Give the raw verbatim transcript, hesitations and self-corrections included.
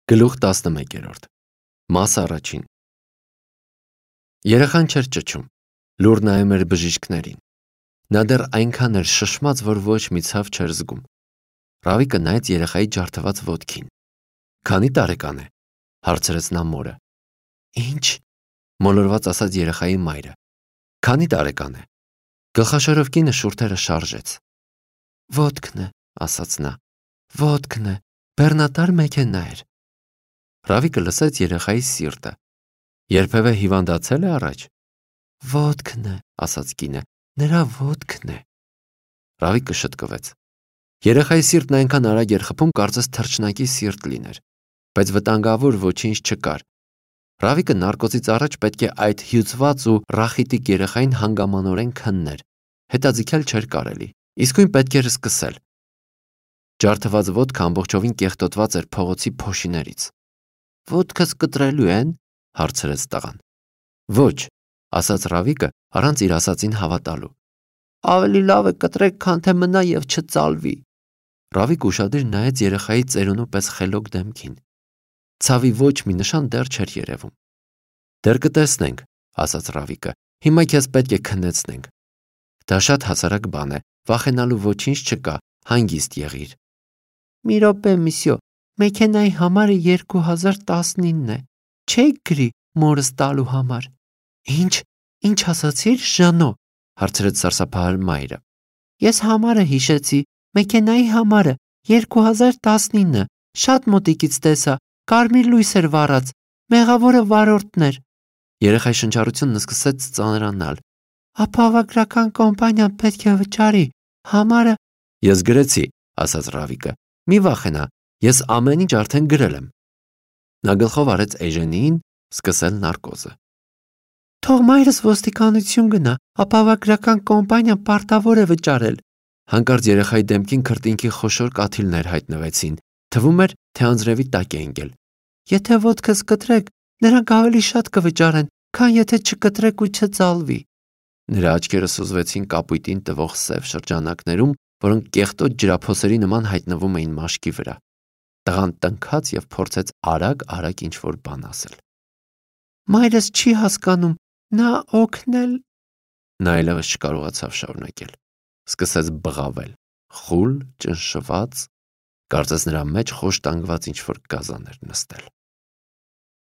Գլուխ տասնմեկերորդ Մաս առաջին Երեխան չէր ճչում, լուր նայում էր բժիշկներին։ Նա դեռ այնքան էր շշմած, որ ոչ մի ցավ չէր զգում։ Ռավիկը նայեց երեխայի ջարդված ոտքին։ Քանի տարեկան է, հարցրեց նա մորը։ Ինչ, մոլորված ասաց երեխայի մայրը։ Քանի տարեկան է։ Գլխաշորով կինը շուրթերը շարժեց։ Ոտքն է, ասաց նա, ոտքն է, բեռնատար մեքենա էր։ Ռավիկը լսեց երեխայի սիրտը։ Երբևէ հիվանդացել է առաջ։ Ոտքն է, ասաց կինը, նրա ոտքն է։ Ռավիկը շտկվեց։ Երեխայի սիրտն այնքան արագ էր խփում, կարծես թռչնակի սիրտ լիներ, բայց վտանգավոր ոչինչ չկար։ Ռավիկը նարկոզից առաջ պետք է այդ հյուծված ու ռախիտիկ երեխային հանգամանորեն քններ, հետաձգել չէր կարելի, իսկույն պետք էր սկսել։ Ջարդված ոտքը ամբողջովին կեղտոտված էր փողոցի փոշիներից։ Ոտքս կտրելու են, հարցրեց տղան։ Ոչ, ասաց Ռավիկը առանց իր ասածին հավատալու։ Ավելի լավ է կտրեք, քան թե մնա եւ չծալվի։ Ռավիկը ուշադիր նայեց երեխայի ծերունու պես խելոք դեմքին։ Ցավի ոչ մի նշան դեռ չէր երևում։ Դեռ կտեսնենք, ասաց Ռավիկը։ Հիմա քեզ պետք է քննեցնենք։ Դա շատ հասարակ բան է, վախենալու ոչինչ չկա, հանգիստ եղիր։ Մի րոպե, միսյո, մեքենայի համարը երկու հազար տասնինն է։ Չեք գրի մորս տալու համար։ Ինչ, ինչ ասացիր, Ժանո, հարցրեց սարսափահար մայրը։ Ես համարը հիշեցի, մեքենայի համարը երկու հազար տասնինը, շատ մոտիկից տեսա, կարմիր լույս էր վառած, մեղավորը վարորդն էր։ Երեխայի շնչառությունն սկսեց ծանրանալ։ Ապահովագրական կոմպանիան պետք է վճարի, համարը… Ես գրեցի, ասաց Ռավիկը, մի վախենա, ես ամեն ինչ արդեն գրել եմ։ Նա գլխով արեց Էժենին սկսել նարկոզը։ Թող մայրս ոստիկանություն գնա, ապահովագրական կոմպանիան պարտավոր է վճարել։ Հանկարծ երեխայի դեմքին քրտինքի խոշոր կաթիլներ հայտնվեցին, թվում էր, թե անձրևի տակ է ընկել։ Եթե ոտքս կտրեք, նրանք ավելի շատ կվճարեն, քան եթե չկտրեք ու չծալվի։ Նրա աչքերը սուզվեցին կապույտին տվող սև շրջանակներում, որոնք կեղտոտ ջրափոսերի նման հայտնվում էին մաշկի վրա։ Տղան տնքաց և փորձեց արագ-արագ ինչ-որ բան ասել։ Մայրս չի հասկանում, նա օգնել… Նա այլևս չկարողացավ շարունակել։ Սկսեց բղավել, խուլ, ճնշված, կարծես նրա մեջ խոշտանգված ինչ-որ գազան էր նստել։